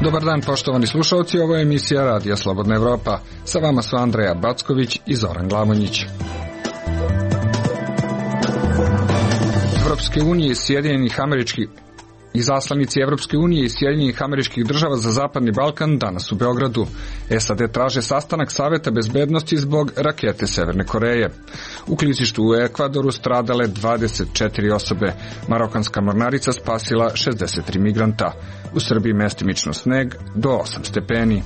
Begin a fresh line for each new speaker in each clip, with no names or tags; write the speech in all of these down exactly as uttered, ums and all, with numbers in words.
Dobar dan, poštovani slušalci, ovo je emisija Radija Slobodna Evropa. Sa vama su Andreja Backović i Zoran Glamonjić. Evropske unije i Sjedinjenih američkih Izaslanici Evropske unije i Sjedinjenih američkih država za Zapadni Balkan danas u Beogradu. S A D traže sastanak Saveta bezbednosti zbog rakete Severne Koreje. U klizištu u Ekvadoru stradale dvadeset četiri osobe. Marokanska mornarica spasila šezdeset tri migranta. U Srbiji mestimično sneg do osam stepeni.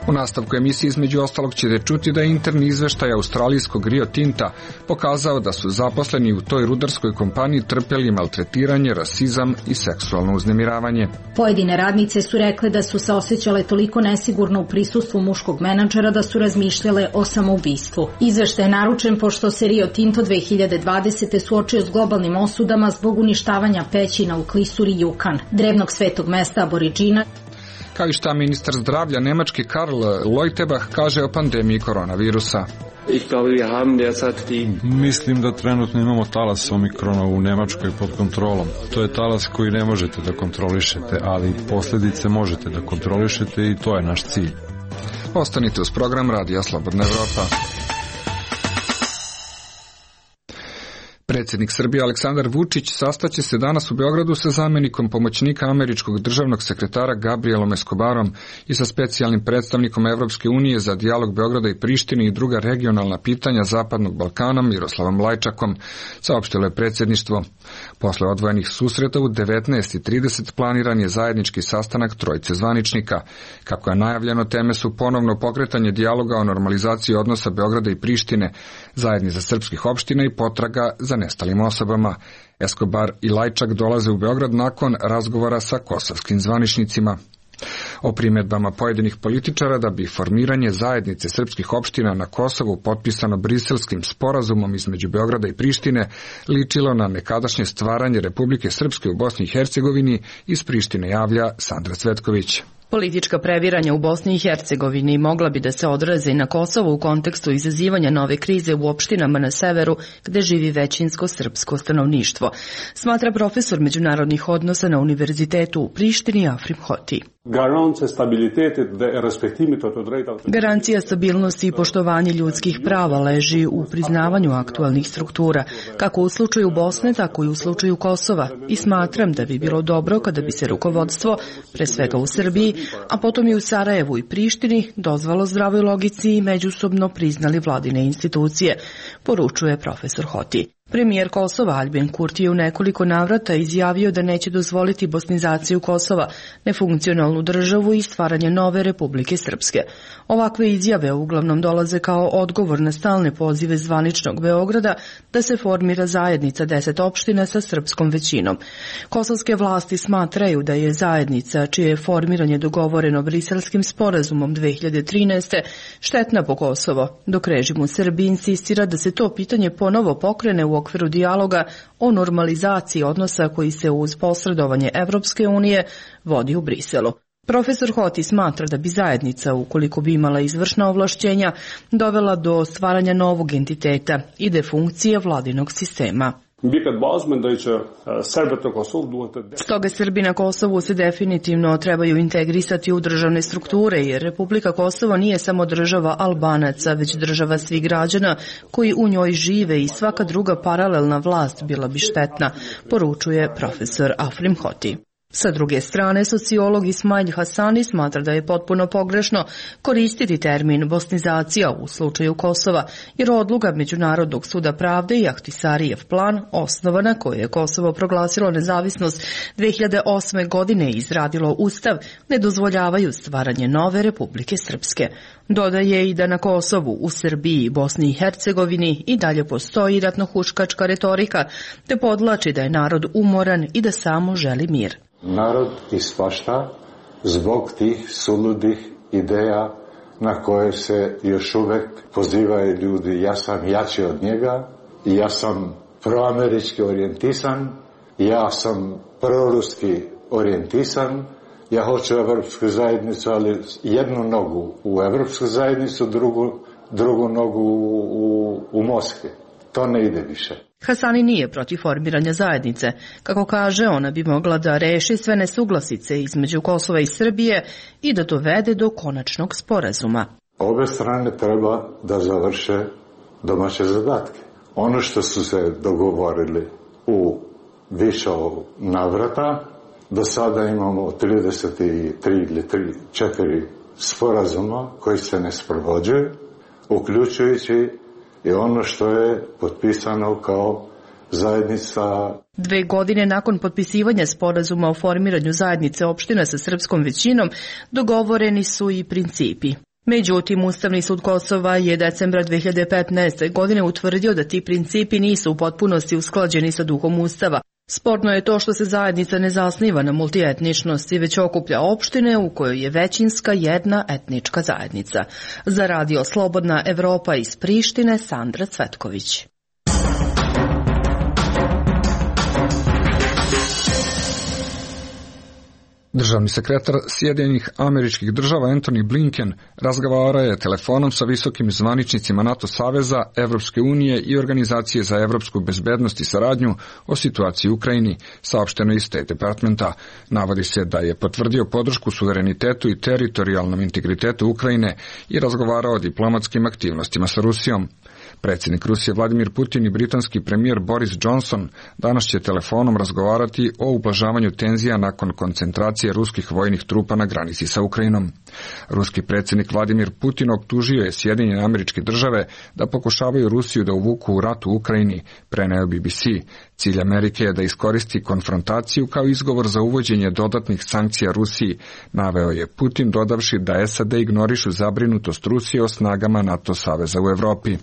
U nastavku emisije između ostalog ćete čuti da je interni izveštaj australijskog Rio Tinta pokazao da su zaposleni u toj rudarskoj kompaniji trpeli maltretiranje, rasizam i seksualno uznemiravanje.
Pojedine radnice su rekle da su se osjećale toliko nesigurno u prisustvu muškog menadžera da su razmišljale o samoubistvu. Izveštaj je naručen pošto se Rio Tinto dve hiljade dvadesete suočio s globalnim osudama zbog uništavanja pećina u klisuri Jukan, drevnog svetog mesta Aboriđina,
kao i šta ministar zdravlja Nemački Karl Leuterbach kaže o pandemiji koronavirusa.
Mislim da trenutno imamo talas omikrona u Nemačkoj pod kontrolom. To je talas koji ne možete da kontrolišete, ali posljedice možete da kontrolišete i to je naš cilj.
Ostanite uz program Radija Slobodna Evropa. Predsjednik Srbije Aleksandar Vučić sastaće se danas u Beogradu sa zamjenikom pomoćnika američkog državnog sekretara Gabrielom Escobarom i sa specijalnim predstavnikom Evropske unije za dijalog Beograda i Prištine i druga regionalna pitanja Zapadnog Balkana Miroslavom Lajčakom, saopštilo je predsjedništvo. Posle odvojenih susreta u devetnaest i trideset planiran je zajednički sastanak trojice zvaničnika. Kako je najavljeno, teme su ponovno pokretanje dijaloga o normalizaciji odnosa Beograda i Prištine, zajednica srpskih opština i potraga za nestalim osobama. Escobar i Lajčak dolaze u Beograd nakon razgovora sa kosovskim zvaničnicima. O primjedbama pojedinih političara da bi formiranje zajednice srpskih opština na Kosovu potpisano Briselskim sporazumom između Beograda i Prištine ličilo na nekadašnje stvaranje Republike Srpske u Bosni i Hercegovini, iz Prištine javlja Sandra Cvetković.
Politička previranja u Bosni i Hercegovini mogla bi da se odraze i na Kosovu u kontekstu izazivanja nove krize u opštinama na severu gde živi većinsko srpsko stanovništvo, smatra profesor međunarodnih odnosa na Univerzitetu u Prištini Afrim Hoti. Garancija stabilnosti i poštovanje ljudskih prava leži u priznavanju aktualnih struktura, kako u slučaju Bosne, tako i u slučaju Kosova, i smatram da bi bilo dobro kada bi se rukovodstvo, pre svega u Srbiji, a potom i u Sarajevu i Prištini, dozvalo zdravoj logici i međusobno priznali vladine institucije, poručuje profesor Hoti. Premijer Kosova Aljbin Kurti je u nekoliko navrata izjavio da neće dozvoliti bosnizaciju Kosova, nefunkcionalnu državu i stvaranje nove Republike Srpske. Ovakve izjave uglavnom dolaze kao odgovor na stalne pozive zvaničnog Beograda da se formira zajednica deset opština sa srpskom većinom. Kosovske vlasti smatraju da je zajednica, čije je formiranje dogovoreno Briselskim sporazumom dve hiljade trinaeste. štetna po Kosovo, dok režim u Srbiji insistira da se to pitanje ponovo pokrene u U okviru dijaloga o normalizaciji odnosa koji se uz posredovanje Evropske unije vodi u Briselu. Profesor Hoti smatra da bi zajednica, ukoliko bi imala izvršna ovlašćenja, dovela do stvaranja novog entiteta i defunkcije vladinog sistema. Stoga Srbi na Kosovu se definitivno trebaju integrisati u državne strukture, jer Republika Kosovo nije samo država Albanaca, već država svih građana koji u njoj žive i svaka druga paralelna vlast bila bi štetna, poručuje profesor Afrim Hoti. Sa druge strane, sociolog Ismail Hasani smatra da je potpuno pogrešno koristiti termin bosnizacija u slučaju Kosova, jer odluka Međunarodnog suda pravde i Ahtisarijev plan, osnovana koje je Kosovo proglasilo nezavisnost dve hiljade osme. godine i izradilo ustav, ne dozvoljavaju stvaranje nove Republike Srpske. Dodaje i da na Kosovu, u Srbiji i Bosni i Hercegovini i dalje postoji ratnohuškačka retorika, te podlači da je narod umoran i da samo želi mir.
Narod ispašta zbog tih suludih ideja na koje se još uvek pozivaju ljudi. Ja sam jači od njega, ja sam proamerički orijentisan, ja sam proruski orijentisan, ja hoću evropsku zajednicu, ali jednu nogu u evropsku zajednicu, drugu, drugu nogu u, u, u Moskvi. To ne ide više.
Hasani nije protiv formiranja zajednice. Kako kaže, ona bi mogla da reši sve nesuglasice između Kosova i Srbije i da dovede do konačnog sporazuma.
Obe strane treba da završe domaće zadatke. Ono što su se dogovorili u više navrata, do sada imamo trideset tri ili četiri sporazuma koji se ne sprovođuju, uključujući i ono što je potpisano kao zajednica.
Dve godine nakon potpisivanja sporazuma o formiranju zajednice opština sa srpskom većinom, dogovoreni su i principi. Međutim, Ustavni sud Kosova je decembra dve hiljade petnaeste. godine utvrdio da ti principi nisu u potpunosti usklađeni sa duhom Ustava. Sporno je to što se zajednica ne zasniva na multietničnosti, već okuplja opštine u kojoj je većinska jedna etnička zajednica. Za Radio Slobodna Evropa iz Prištine, Sandra Cvetković.
Državni sekretar Sjedinjenih Američkih Država Antony Blinken razgovarao je telefonom sa visokim zvaničnicima NATO saveza, Evropske unije i Organizacije za evropsku bezbednost i saradnju o situaciji u Ukrajini, saopšteno iz State Departmenta. Navodi se da je potvrdio podršku suverenitetu i teritorijalnom integritetu Ukrajine i razgovarao o diplomatskim aktivnostima sa Rusijom. Predsjednik Rusije Vladimir Putin i britanski premijer Boris Johnson danas će telefonom razgovarati o ublažavanju tenzija nakon koncentracije ruskih vojnih trupa na granici sa Ukrajinom. Ruski predsjednik Vladimir Putin optužio je Sjedinjene Američke Države da pokušavaju Rusiju da uvuku u rat u Ukrajini, preneo B B C. Cilj Amerike je da iskoristi konfrontaciju kao izgovor za uvođenje dodatnih sankcija Rusiji, naveo je Putin, dodavši da S A D ignorišu zabrinutost Rusije o snagama NATO saveza u Evropi.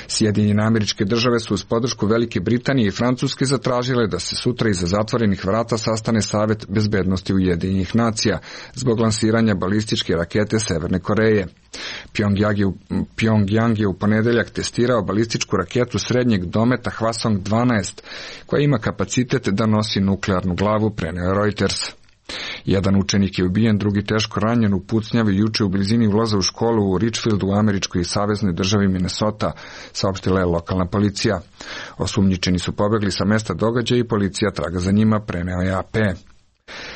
Sjedinjene Američke Države su uz podršku Velike Britanije i Francuske zatražile da se sutra iza zatvorenih vrata sastane Savet bezbednosti Ujedinjenih nacija zbog lansiranja balističke rakete Severne Koreje. Pjongjang je, Pjongjang je u ponedeljak testirao balističku raketu srednjeg dometa Hwasong dvanaest, koja ima kapacitet da nosi nuklearnu glavu, preneo Reuters. Jedan učenik je ubijen, drugi teško ranjen u pucnjavi juče u blizini ulaza u školu u Richfieldu u američkoj i saveznoj državi Minnesota, saopštila je lokalna policija. Osumnjičeni su pobegli sa mesta događaja i policija traga za njima, preneo je A P.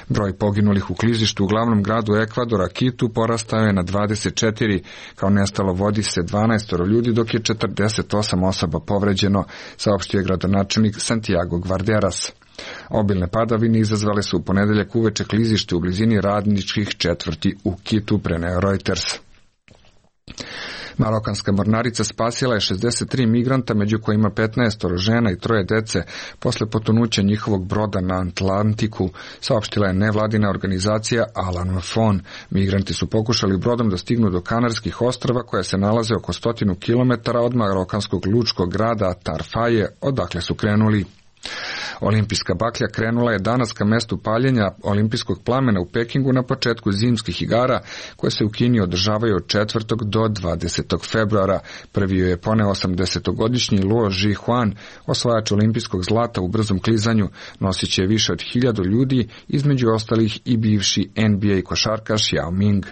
Broj poginulih u klizištu u glavnom gradu Ekvadora, Kitu, porastao je na dvadeset četiri, kao nestalo vodi se dvanaest ljudi, dok je četrdeset osam osoba povređeno, saopštio je gradonačelnik Santiago Guarderas. Obilne padavine izazvale su u ponedeljak uveče klizište u blizini radničkih četvrti u Kitu, preneo Reuters. Marokanska mornarica spasila je šezdeset tri migranta, među kojima petnaest žena i troje dece, posle potonuća njihovog broda na Atlantiku, saopštila je nevladina organizacija Alan Fon. Migranti su pokušali brodom da stignu do Kanarskih ostrava, koja se nalaze oko stotinu kilometara od marokanskog lučkog grada Tarfaje, odakle su krenuli. Olimpijska baklja krenula je danas ka mestu paljenja olimpijskog plamena u Pekingu na početku zimskih igara, koje se u Kini održavaju od četvrtog do dvadesetog februara. Prvi je poneo osamdesetogodišnji Luo Zhihuan, osvajač olimpijskog zlata u brzom klizanju, nosit će više od hiljadu ljudi, između ostalih i bivši N B A košarkaš Yao Ming.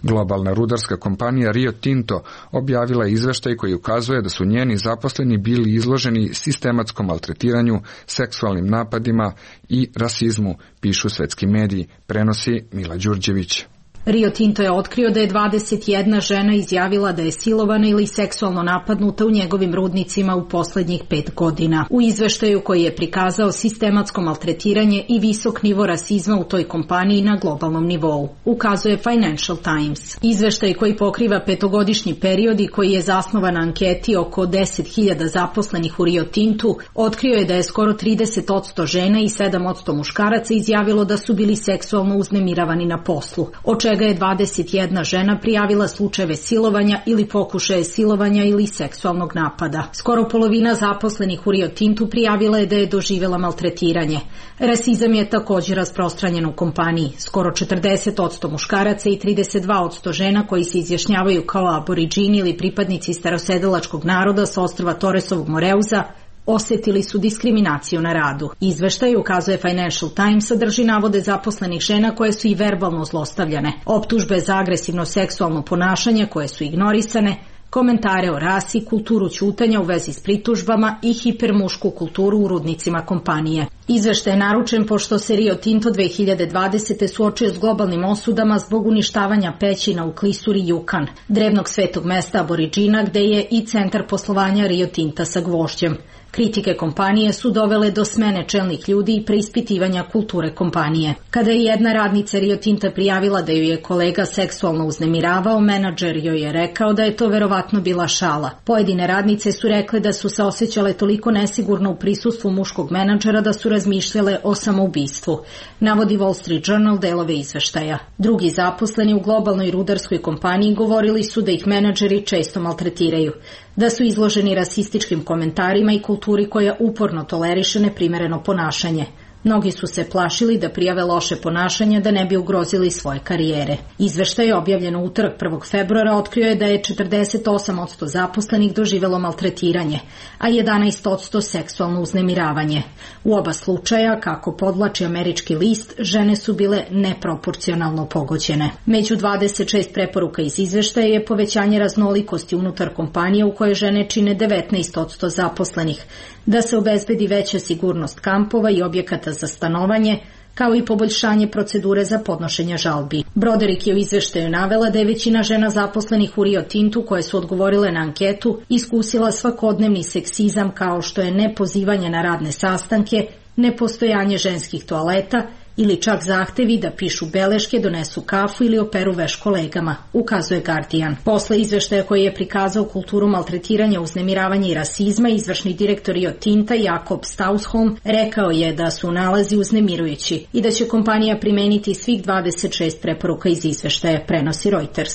Globalna rudarska kompanija Rio Tinto objavila je izveštaj koji ukazuje da su njeni zaposleni bili izloženi sistematskom maltretiranju, seksualnim napadima i rasizmu, pišu svetski mediji, prenosi Mila Đurđević.
Rio Tinto je otkrio da je dvadeset jedna žena izjavila da je silovana ili seksualno napadnuta u njegovim rudnicima u poslednjih pet godina. U izveštaju koji je prikazao sistematsko maltretiranje i visok nivo rasizma u toj kompaniji na globalnom nivou, ukazuje Financial Times. Izveštaj koji pokriva petogodišnji period i koji je zasnovan na anketi oko deset hiljada zaposlenih u Rio Tintu, otkrio je da je skoro trideset posto žena i sedam posto muškaraca izjavilo da su bili seksualno uznemiravani na poslu, od čega je dvadeset jedna žena prijavila slučajeve silovanja ili pokušaje silovanja ili seksualnog napada. Skoro polovina zaposlenih u Rio Tintu prijavila je da je doživjela maltretiranje. Rasizam je također rasprostranjen u kompaniji. Skoro četrdeset posto muškaraca i trideset dva posto žena koji se izjašnjavaju kao aboriđini ili pripadnici starosedelačkog naroda sa ostrva Torresovog Moreuza osetili su diskriminaciju na radu. Izveštaj, ukazuje Financial Times, sadrži navode zaposlenih žena koje su i verbalno zlostavljane, optužbe za agresivno seksualno ponašanje koje su ignorisane, komentare o rasi, kulturu ćutanja u vezi s pritužbama i hipermušku kulturu u rudnicima kompanije. Izveštaj je naručen pošto se Rio Tinto dve hiljade dvadesete suočio s globalnim osudama zbog uništavanja pećina u klisuri Jukan, drevnog svetog mesta Aboriđina gde je i centar poslovanja Rio Tinta sa gvožđem. Kritike kompanije su dovele do smene čelnih ljudi i preispitivanja kulture kompanije. Kada je jedna radnica Rio Tinta prijavila da ju je kolega seksualno uznemiravao, menadžer joj je rekao da je to verovatno bila šala. Pojedine radnice su rekle da su se osjećale toliko nesigurno u prisustvu muškog menadžera da su razmišljale o samoubistvu, navodi Wall Street Journal delove izveštaja. Drugi zaposleni u globalnoj rudarskoj kompaniji govorili su da ih menadžeri često maltretiraju, da su izloženi rasističkim komentarima i kulturi koja uporno toleriše neprimereno ponašanje. Mnogi su se plašili da prijave loše ponašanje da ne bi ugrozili svoje karijere. Izveštaj je objavljen u utorak prvog februara otkrio je da je četrdeset osam posto zaposlenih doživelo maltretiranje, a jedanaest posto seksualno uznemiravanje. U oba slučaja, kako podvlači američki list, žene su bile neproporcionalno pogođene. Među dvadeset šest preporuka iz izveštaja je povećanje raznolikosti unutar kompanije u kojoj žene čine devetnaest posto zaposlenih, da se obezbedi veća sigurnost kampova i objekata za stanovanje, kao i poboljšanje procedure za podnošenje žalbi. Broderick je u izveštaju navela da je većina žena zaposlenih u Rio Tintu koje su odgovorile na anketu iskusila svakodnevni seksizam kao što je nepozivanje na radne sastanke, nepostojanje ženskih toaleta ili čak zahtevi da pišu beleške, donesu kafu ili operu veš kolegama, ukazuje Guardian. Posle izveštaja koji je prikazao kulturu maltretiranja, uznemiravanja i rasizma, izvršni direktor Rio Tinta Jakob Stausholm rekao je da su nalazi uznemirujući i da će kompanija primeniti svih dvadeset šest preporuka iz izveštaja, prenosi Reuters.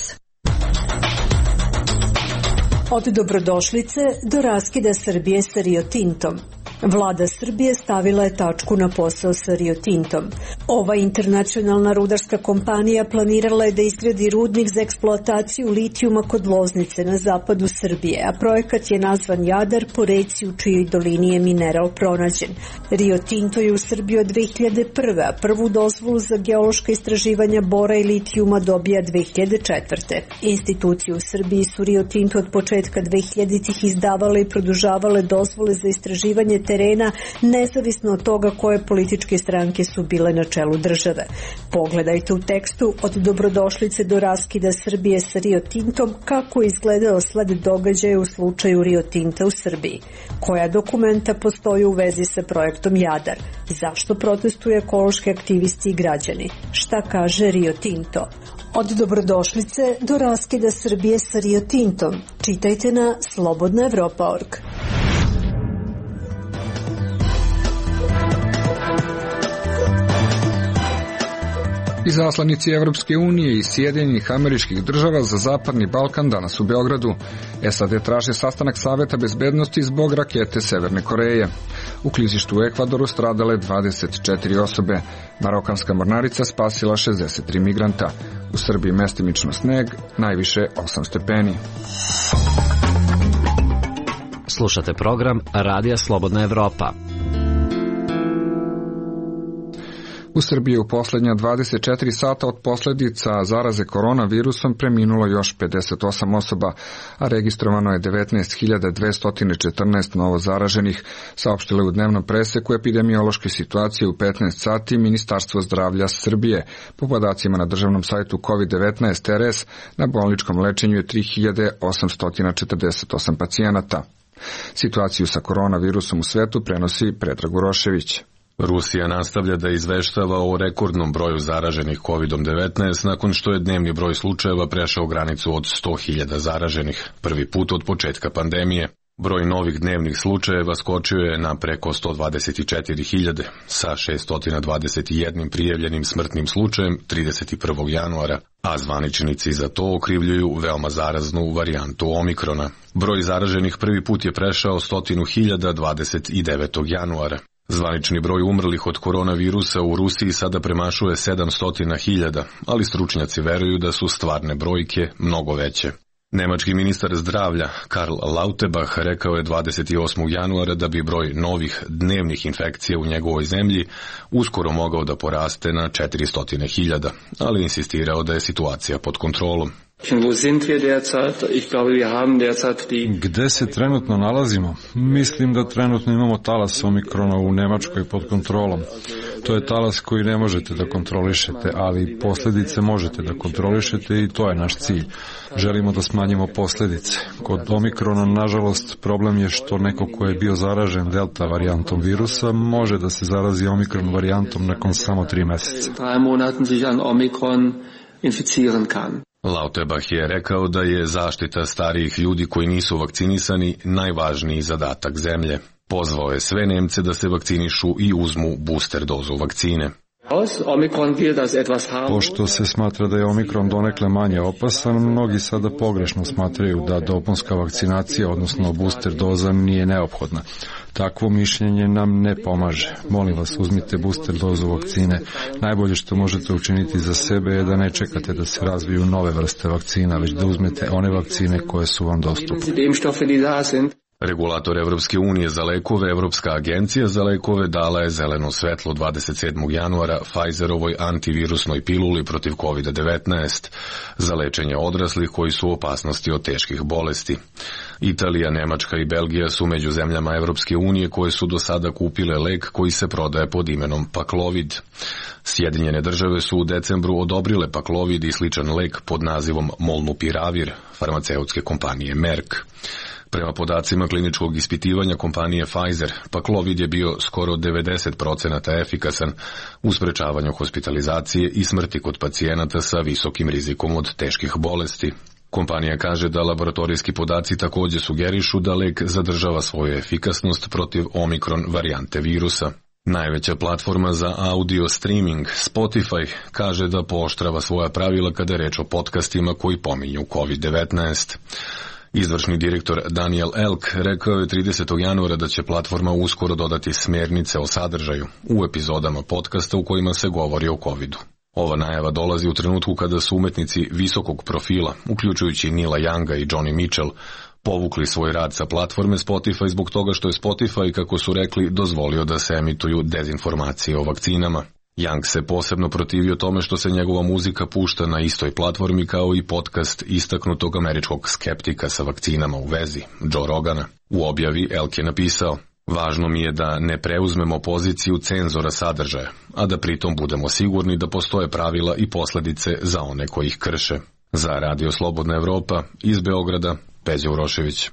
Od dobrodošlice do raskida Srbije sa Rio Tintom. Vlada Srbije stavila je tačku na posao sa Rio Tintom. Ova internacionalna rudarska kompanija planirala je da izgradi rudnik za eksploataciju litijuma kod Loznice na zapadu Srbije, a projekat je nazvan Jadar po reci u čijoj dolini je mineral pronađen. Rio Tinto je u Srbiji od dve hiljade prve, a prvu dozvolu za geološka istraživanja bora i litijuma dobija dve hiljade četvrte. Institucije u Srbiji su Rio Tinto od početka dve hiljaditih izdavale i produžavale dozvole za istraživanje terena, nezavisno od toga koje političke stranke su bile na čelu države. Pogledajte u tekstu od dobrodošlice do raskida Srbije sa Rio Tintom kako je izgledao sled događaja u slučaju Rio Tinta u Srbiji. Koja dokumenta postoji u vezi sa projektom Jadar? Zašto protestuju ekološki aktivisti i građani? Šta kaže Rio Tinto? Od dobrodošlice do raskida Srbije sa Rio Tintom. Čitajte na slobodna evropa tačka org.
Izaslanici Evropske unije i Sjedinjenih Američkih Država za Zapadni Balkan danas u Beogradu. S A D traže sastanak Saveta bezbednosti zbog rakete Severne Koreje. U klizištu u Ekvadoru stradale dvadeset četiri osobe. Marokanska mornarica spasila šezdeset tri migranta. U Srbiji mestimično sneg, najviše osam stepeni.
Slušate program Radija Slobodna Evropa.
U Srbiji u posljednja dvadeset četiri sata od posljedica zaraze koronavirusom preminulo još pedeset osam osoba, a registrovano je devetnaest hiljada dvesta četrnaest novo zaraženih, saopštile u dnevnom preseku epidemiološke situacije u petnaest sati Ministarstvo zdravlja Srbije. Po podacima na državnom sajtu kovid devetnaest R S, na bolničkom lečenju je tri hiljade osamsto četrdeset osam pacijenata. Situaciju sa koronavirusom u svetu prenosi Predrag Urošević.
Rusija nastavlja da izveštava o rekordnom broju zaraženih kovid devetnaest nakon što je dnevni broj slučajeva prešao granicu od sto hiljada zaraženih, prvi put od početka pandemije. Broj novih dnevnih slučajeva skočio je na preko sto dvadeset četiri hiljade, sa šessto dvadeset jedan prijavljenim smrtnim slučajem trideset prvog januara, a zvaničnici za to okrivljuju veoma zaraznu varijantu Omikrona. Broj zaraženih prvi put je prešao stotinu hiljada dvadeset devetog januara. Zvanični broj umrlih od koronavirusa u Rusiji sada premašuje sedamsto hiljada, ali stručnjaci veruju da su stvarne brojke mnogo veće. Nemački ministar zdravlja Karl Lauterbach rekao je dvadeset osmog januara da bi broj novih dnevnih infekcija u njegovoj zemlji uskoro mogao da poraste na četiristo hiljada, ali insistirao da je situacija pod kontrolom.
Gde se trenutno nalazimo? Mislim da trenutno imamo talas omikrona u Nemačkoj pod kontrolom. To je talas koji ne možete da kontrolišete, ali posledice možete da kontrolišete i to je naš cilj. Želimo da smanjimo posledice. Kod omikrona, nažalost, problem je što neko ko je bio zaražen delta varijantom virusa može da se zarazi omikron varijantom nakon samo tri meseca.
Lauterbach je rekao da je zaštita starijih ljudi koji nisu vakcinisani najvažniji zadatak zemlje. Pozvao je sve Nemce da se vakcinišu i uzmu booster dozu vakcine.
Pošto se smatra da je omikron donekle manje opasan, mnogi sada pogrešno smatraju da dopunska vakcinacija, odnosno booster doza, nije neophodna. Takvo mišljenje nam ne pomaže. Molim vas, uzmite booster dozu vakcine. Najbolje što možete učiniti za sebe je da ne čekate da se razviju nove vrste vakcina, već da uzmete one vakcine koje su vam dostupne.
Regulator Evropske unije za lekove, Evropska agencija za lekove, dala je zeleno svetlo dvadeset sedmog januara Pfizerovoj antivirusnoj piluli protiv kovid devetnaest za lečenje odraslih koji su u opasnosti od teških bolesti. Italija, Nemačka i Belgija su među zemljama Evropske unije koje su do sada kupile lek koji se prodaje pod imenom Paxlovid. Sjedinjene države su u decembru odobrile Paxlovid i sličan lek pod nazivom Molnupiravir farmaceutske kompanije Merck. Prema podacima kliničkog ispitivanja kompanije Pfizer, Paxlovid je bio skoro devedeset procenata efikasan u sprečavanju hospitalizacije i smrti kod pacijenata sa visokim rizikom od teških bolesti. Kompanija kaže da laboratorijski podaci također sugerišu da lek zadržava svoju efikasnost protiv omikron varijante virusa. Najveća platforma za audio streaming, Spotify, kaže da pooštrava svoja pravila kada je reč o podcastima koji pominju kovid devetnaest. Izvršni direktor Daniel Elk rekao je tridesetog januara da će platforma uskoro dodati smjernice o sadržaju u epizodama podcasta u kojima se govori o covidu. Ova najava dolazi u trenutku kada su umetnici visokog profila, uključujući Nila Younga i Johnny Mitchell, povukli svoj rad sa platforme Spotify zbog toga što je Spotify, kako su rekli, dozvolio da se emituju dezinformacije o vakcinama. Young se posebno protivio tome što se njegova muzika pušta na istoj platformi kao i podcast istaknutog američkog skeptika sa vakcinama u vezi, Joe Rogana. U objavi Elk je napisao: "Važno mi je da ne preuzmemo poziciju cenzora sadržaja, a da pritom budemo sigurni da postoje pravila i posljedice za one koji ih krše." Za Radio Slobodna Evropa, iz Beograda, Peđa Urošević.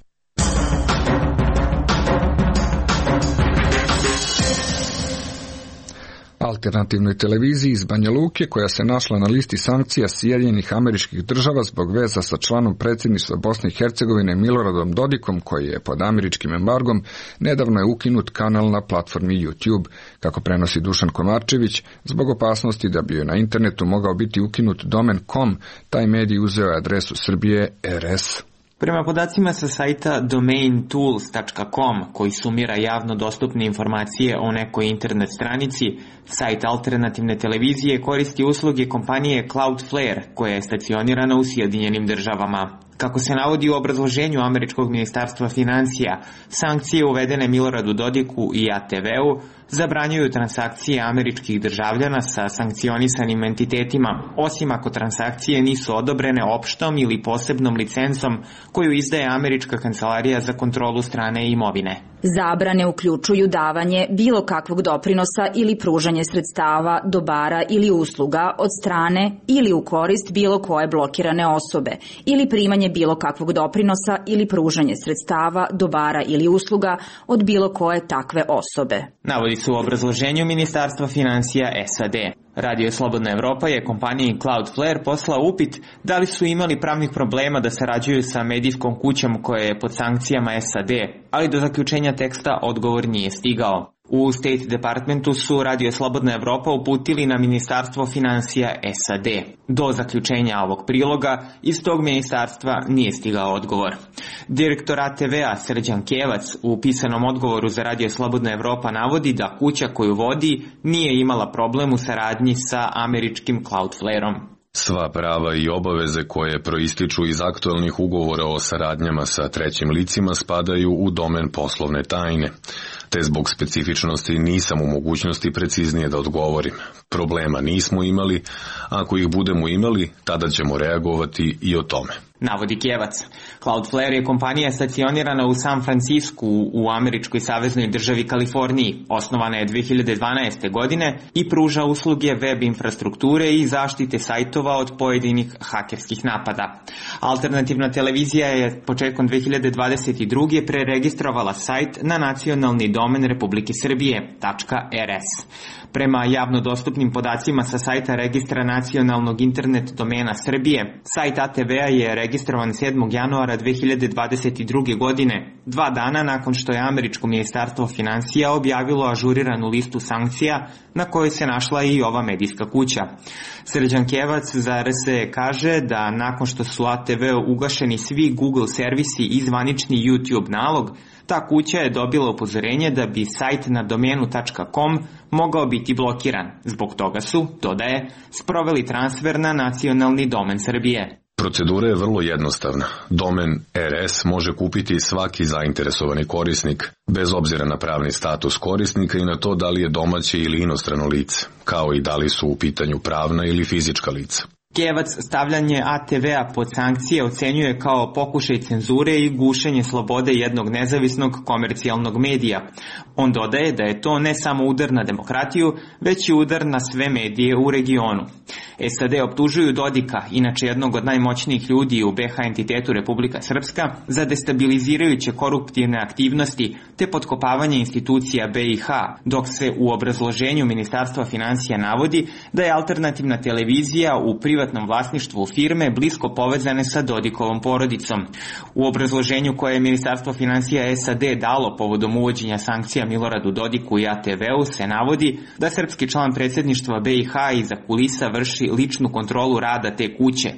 Alternativnoj televiziji iz Banja Luke, koja se našla na listi sankcija Sjedinjenih Američkih Država zbog veza sa članom predsjedništva Bosne i Hercegovine Miloradom Dodikom, koji je pod američkim embargom, nedavno je ukinut kanal na platformi YouTube. Kako prenosi Dušan Komarčević, zbog opasnosti da bi joj na internetu mogao biti ukinut domen .com, taj medij uzeo je adresu Srbije R S.
Prema podacima sa sajta domain tools tačka com, koji sumira javno dostupne informacije o nekoj internet stranici, sajt alternativne televizije koristi usluge kompanije Cloudflare, koja je stacionirana u Sjedinjenim Državama. Kako se navodi u obrazloženju američkog ministarstva financija, sankcije uvedene Miloradu Dodiku i A T V-u zabranjuju transakcije američkih državljana sa sankcionisanim entitetima, osim ako transakcije nisu odobrene opštom ili posebnom licencom koju izdaje Američka kancelarija za kontrolu strane imovine.
Zabrane uključuju davanje bilo kakvog doprinosa ili pružanje sredstava, dobara ili usluga od strane ili u korist bilo koje blokirane osobe, ili primanje bilo kakvog doprinosa ili pružanje sredstava, dobara ili usluga od bilo koje takve osobe.
Navodi se u obrazloženju Ministarstva financija S A D. Radio Slobodna Evropa je kompaniji Cloudflare poslao upit da li su imali pravnih problema da sarađuju sa medijskom kućom koja je pod sankcijama S A D, ali do zaključenja teksta odgovor nije stigao. U State Departmentu su Radio Slobodna Evropa uputili na Ministarstvo financija S A D. Do zaključenja ovog priloga iz tog ministarstva nije stigao odgovor. Direktor A T V-a Srđan Kevac u pisanom odgovoru za Radio Slobodna Evropa navodi da kuća koju vodi nije imala problem u saradnji sa američkim Cloudflare-om.
Sva prava i obaveze koje proističu iz aktualnih ugovora o saradnjama sa trećim licima spadaju u domen poslovne tajne. te zbog specifičnosti nisam u mogućnosti preciznije da odgovorim. Problema nismo imali, ako ih budemo imali, tada ćemo reagovati i o tome.
Navodi Kjevac. Cloudflare je kompanija stacionirana u San Francisku u američkoj saveznoj državi Kaliforniji. Osnovana je dve hiljade dvanaeste. godine i pruža usluge web infrastrukture i zaštite sajtova od pojedinih hakerskih napada. Alternativna televizija je početkom dve hiljade dvadeset druge. preregistrovala sajt na nacionalni domen Republike Srbije .rs. Prema javno dostupnim podacima sa sajta Registra nacionalnog internet domena Srbije, sajt A T V-a je registrovan sedmog januara dve hiljade dvadeset druge. godine, dva dana nakon što je američko ministarstvo finansija objavilo ažuriranu listu sankcija na kojoj se našla i ova medijska kuća. Srđan Kjevac za R S E kaže da nakon što su A T V-u ugašeni svi Google servisi i zvanični YouTube nalog, ta kuća je dobila upozorenje da bi sajt na domenu .com mogao biti blokiran. Zbog toga su, dodaje, sproveli transfer na nacionalni domen Srbije.
Procedura je vrlo jednostavna. Domen R S može kupiti svaki zainteresovani korisnik, bez obzira na pravni status korisnika i na to da li je domaće ili inostrano lice, kao i da li su u pitanju pravna ili fizička lica.
Kjevac stavljanje A T V-a pod sankcije ocenjuje kao pokušaj cenzure i gušenje slobode jednog nezavisnog komercijalnog medija. On dodaje da je to ne samo udar na demokratiju, već i udar na sve medije u regionu. S A D optužuju Dodika, inače jednog od najmoćnijih ljudi u B H entitetu Republika Srpska, za destabilizirajuće koruptivne aktivnosti te potkopavanje institucija B i H, dok se u obrazloženju Ministarstva finansija navodi da je alternativna televizija u privatnom vlasništvu firme blisko povezane sa Dodikovom porodicom. U obrazloženju koje je Ministarstvo finansija S A D dalo povodom uvođenja sankcija Miloradu Dodiku i A T V-u se navodi da srpski član predsjedništva B i H iza kulisa vrši ličnu kontrolu rada te kuće.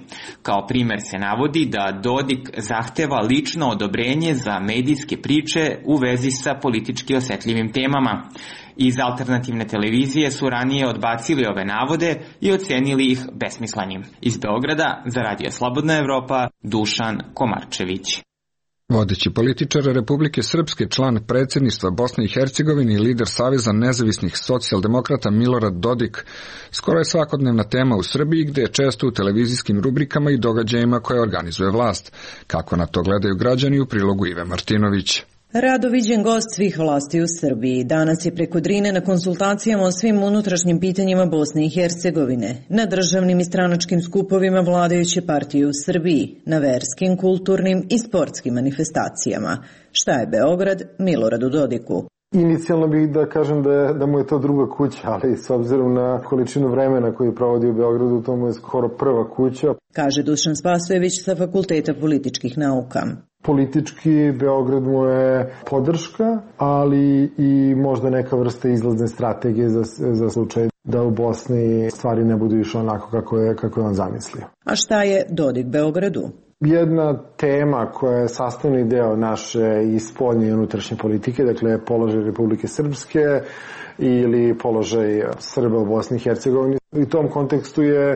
Kao primer se navodi da Dodik zahteva lično odobrenje za medijske priče u vezi sa politički osetljivim temama. Iz alternativne televizije su ranije odbacili ove navode i ocenili ih besmislenim. Iz Beograda za Radio Slobodna Evropa, Dušan Komarčević.
Vodeći političar Republike Srpske, član predsjedništva Bosne i Hercegovine i lider Saveza nezavisnih socijaldemokrata Milorad Dodik, skoro je svakodnevna tema u Srbiji, gde je često u televizijskim rubrikama i događajima koje organizuje vlast. Kako na to gledaju građani u prilogu Ive Martinović.
Rado viđen gost svih vlasti u Srbiji. Danas je preko Drine na konsultacijama o svim unutrašnjim pitanjima Bosne i Hercegovine, na državnim i stranačkim skupovima vladajuće partije u Srbiji, na verskim, kulturnim i sportskim manifestacijama. Šta je Beograd Miloradu Dodiku?
Inicijalno bih da kažem da, da mu je to druga kuća, ali s obzirom na količinu vremena koju provodi u Beogradu, to mu je skoro prva kuća.
Kaže Dušan Spasojević sa Fakulteta političkih nauka.
Politički Beograd mu je podrška, ali i možda neka vrsta izlazne strategije za, za slučaj da u Bosni stvari ne budu išle onako kako je, kako je on zamislio.
A šta je Dodik Beogradu?
Jedna tema koja je sastavni deo naše i spoljne i unutrašnje politike, dakle položaj Republike Srpske ili položaj Srba u Bosni i Hercegovini. U tom kontekstu je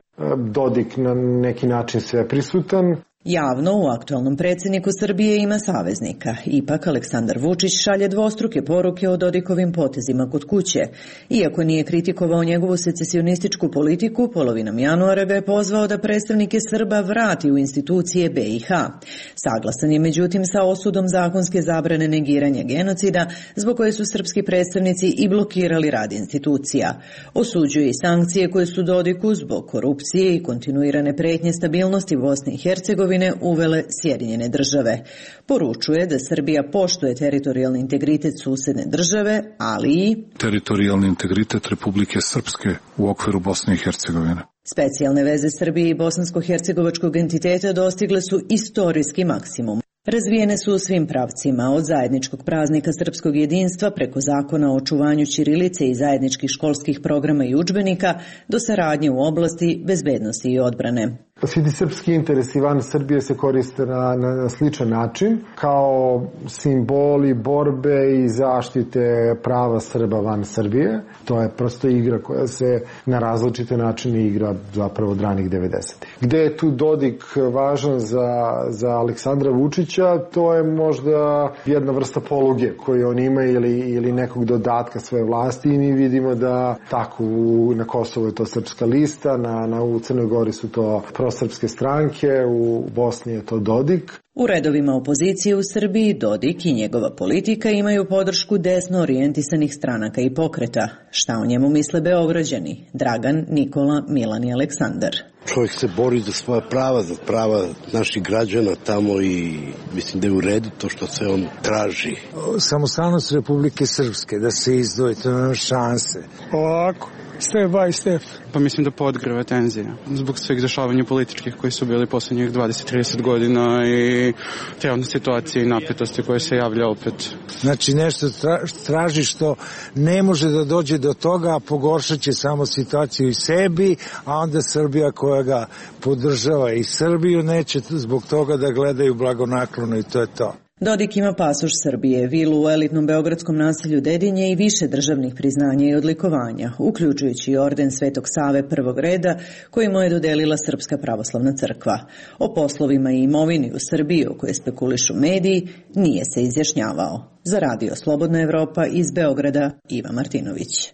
Dodik na neki način sve prisutan.
Javno u aktualnom predsjedniku Srbije ima saveznika. Ipak Aleksandar Vučić šalje dvostruke poruke o Dodikovim potezima kod kuće. Iako nije kritikovao njegovu secesionističku politiku, polovinom januara ga je pozvao da predstavnike Srba vrati u institucije B i H. Saglasan je međutim sa osudom zakonske zabrane negiranja genocida, zbog koje su srpski predstavnici i blokirali rad institucija. Osuđuje i sankcije koje su Dodiku zbog korupcije i kontinuirane pretnje stabilnosti Bosne i Hercegovine uvele Sjedinjene države. Poručuje da Srbija poštuje teritorijalni integritet susedne države, ali i
teritorijalni integritet Republike Srpske u okviru Bosne i Hercegovine.
Specijalne veze Srbije i bosansko-hercegovačkog entiteta dostigle su istorijski maksimum. Razvijene su u svim pravcima, od zajedničkog praznika srpskog jedinstva preko zakona o očuvanju ćirilice i zajedničkih školskih programa i udžbenika do saradnje u oblasti bezbednosti i odbrane.
Svi ti srpski interesi van Srbije se koriste na, na, na sličan način, kao simboli borbe i zaštite prava Srba van Srbije. To je prosto igra koja se na različite načine igra zapravo od ranih devedesetih. Gde je tu Dodik važan za, za Aleksandra Vučića, to je možda jedna vrsta poluge koju on ima ili, ili nekog dodatka svoje vlasti i mi vidimo da tako u, na Kosovu je to Srpska lista, na, na, u Crnoj Gori su to prosrpske stranke, u Bosni je to Dodik.
U redovima opozicije u Srbiji Dodik i njegova politika imaju podršku desno orijentisanih stranaka i pokreta. Šta o njemu misle Beograđani? Dragan, Nikola, Milan i Aleksandar.
Čovjek se bori za svoja prava, za prava naših građana tamo i mislim da je u redu to što se on traži.
Samostalnost Republike Srpske, da se izdvoji, to nema šanse.
Ovako, step by step. Pa mislim da podgreva tenzija zbog svih dešavanja političkih koji su bili poslednjih dvadeset do trideset godina i trenutne situacije i napetosti koje se javlja opet.
Znači nešto traži što ne može da dođe do toga, a pogoršat će samo situaciju i sebi, a onda Srbija koja ga podržava i Srbiju neće zbog toga da gledaju blagonaklono i to je to.
Dodik ima pasoš Srbije, vilu u elitnom beogradskom naselju Dedinje i više državnih priznanja i odlikovanja, uključujući i orden Svetog Save prvog reda koji mu je dodelila Srpska pravoslavna crkva. O poslovima i imovini u Srbiji o kojoj spekulišu mediji nije se izjašnjavao. Za Radio Slobodna Evropa iz Beograda, Iva Martinović.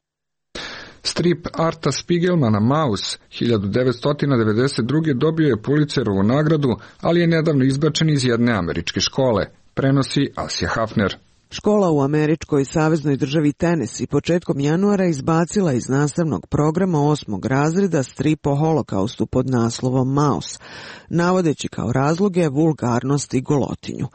Strip Arta Spiegelmana Maus hiljadu devetsto devedeset druge dobio je Pulitzerovu nagradu, ali je nedavno izbačen iz jedne američke škole, prenosi Asja Hafner.
Škola u američkoj saveznoj državi Tennessee početkom januara izbacila iz nastavnog programa osmog razreda strip o holokaustu pod naslovom Maus, navodeći kao razloge vulgarnost i golotinju.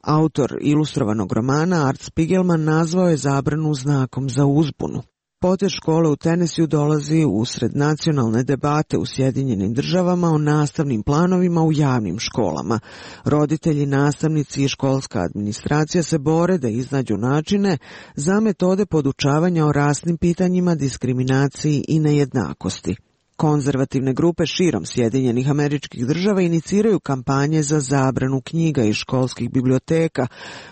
Autor ilustrovanog romana Art Spiegelman nazvao je zabranu znakom za uzbunu. Potez škole u Tennesseeu dolazi usred nacionalne debate u Sjedinjenim državama o nastavnim planovima u javnim školama. Roditelji, nastavnici i školska administracija se bore da iznađu načine za metode podučavanja o rasnim pitanjima, diskriminaciji i nejednakosti. Konzervativne grupe širom Sjedinjenih Američkih Država iniciraju kampanje za zabranu knjiga iz školskih biblioteka,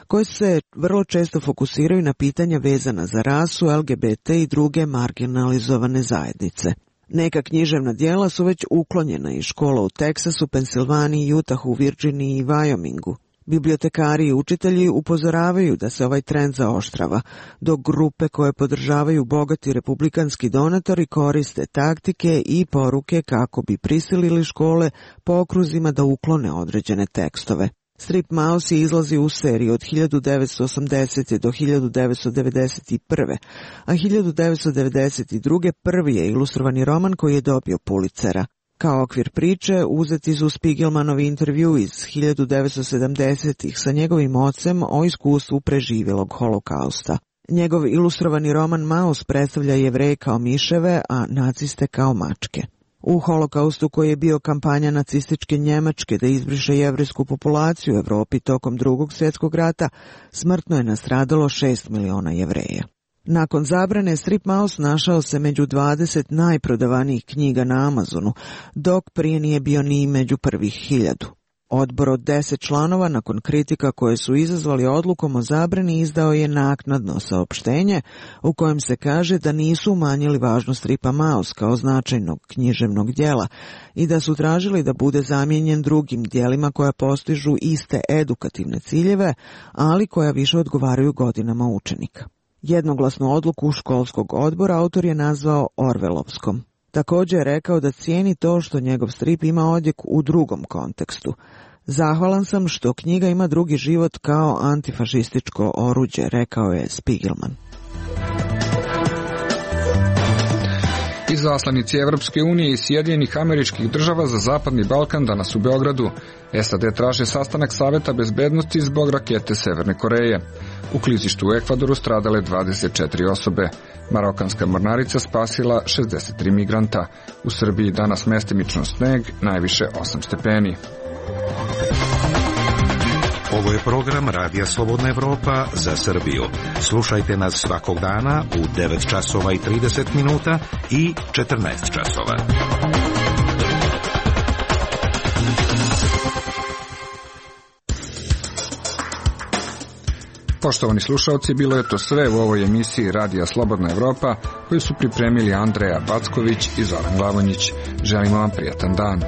koje se vrlo često fokusiraju na pitanja vezana za rasu, L G B T i druge marginalizovane zajednice. Neka književna djela su već uklonjena iz škola u Teksasu, Pensilvaniji, Utahu, Virginiji i Wyomingu. Bibliotekari i učitelji upozoravaju da se ovaj trend zaoštrava, dok grupe koje podržavaju bogati republikanski donatori koriste taktike i poruke kako bi prisilili škole po okruzima da uklone određene tekstove. Strip Maus izlazi u seriji od hiljadu devetsto osamdesete. do hiljadu devetsto devedeset prve. a hiljadu devetsto devedeset druge. prvi je ilustrovani roman koji je dobio Pulitzera. Kao okvir priče uzeti su Spiegelmanovi intervju iz hiljadu devetsto sedamdesetih. sa njegovim ocem o iskustvu preživjelog holokausta. Njegov ilustrovani roman Maus predstavlja Jevreje kao miševe, a naciste kao mačke. U holokaustu, koji je bio kampanja nacističke Njemačke da izbriše jevrejsku populaciju u Evropi tokom drugog svjetskog rata, smrtno je nastradalo šest miliona Jevreja. Nakon zabrane, Strip Maus našao se među dvadeset najprodavanijih knjiga na Amazonu, dok prije nije bio ni među prvih hiljadu. Odbor od deset članova, nakon kritika koje su izazvali odlukom o zabrani, izdao je naknadno saopštenje u kojem se kaže da nisu umanjili važnost stripa Maus kao značajnog književnog djela i da su tražili da bude zamijenjen drugim djelima koja postižu iste edukativne ciljeve, ali koja više odgovaraju godinama učenika. Jednoglasnu odluku školskog odbora autor je nazvao Orvelovskom. Također je rekao da cijeni to što njegov strip ima odjek u drugom kontekstu. Zahvalan sam što knjiga ima drugi život kao antifašističko oruđe, rekao je Spiegelman.
Izaslanici Evropske unije i Sjedinjenih Američkih Država za Zapadni Balkan danas u Beogradu. S A D traže sastanak Saveta bezbednosti zbog rakete Severne Koreje. U klizištu u Ekvadoru stradale dvadeset četiri osobe. Marokanska mornarica spasila šezdeset tri migranta. U Srbiji danas mestimično sneg, najviše osam stepeni.
Ovo je program Radija Slobodna Evropa za Srbiju. Slušajte nas svakog dana u devet časova i trideset minuta i četrnaest časova.
Poštovani slušalci, bilo je to sve u ovoj emisiji Radija Slobodna Evropa koju su pripremili Andreja Backović i Zoran Glavonjić. Želimo vam prijatan dan.